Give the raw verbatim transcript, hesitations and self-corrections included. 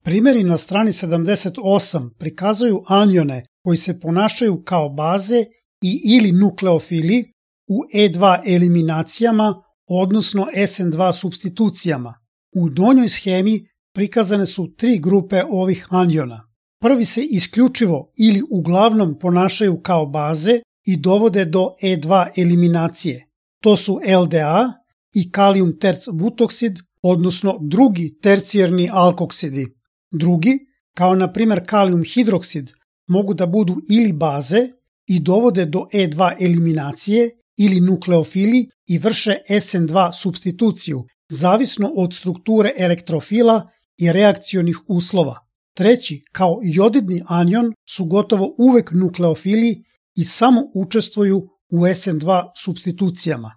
Primjeri na strani sedamdeset osam prikazuju anione koji se ponašaju kao baze i ili nukleofili u E dva eliminacijama, odnosno S N dva supstitucijama. U donjoj schemi prikazane su tri grupe ovih aniona. Prvi se isključivo ili uglavnom ponašaju kao baze i dovode do E dva eliminacije. To su L D A i kalijum terc butoksid, odnosno drugi tercijarni alkoksidi. Drugi, kao na primjer kalijum hidroksid, mogu da budu ili baze i dovode do E dva eliminacije ili nukleofili i vrše S N dva supstituciju, zavisno od strukture elektrofila i reakcionih uslova. Treći, kao jodidni anion, su gotovo uvek nukleofili i samo učestvuju u S N dva supstitucijama.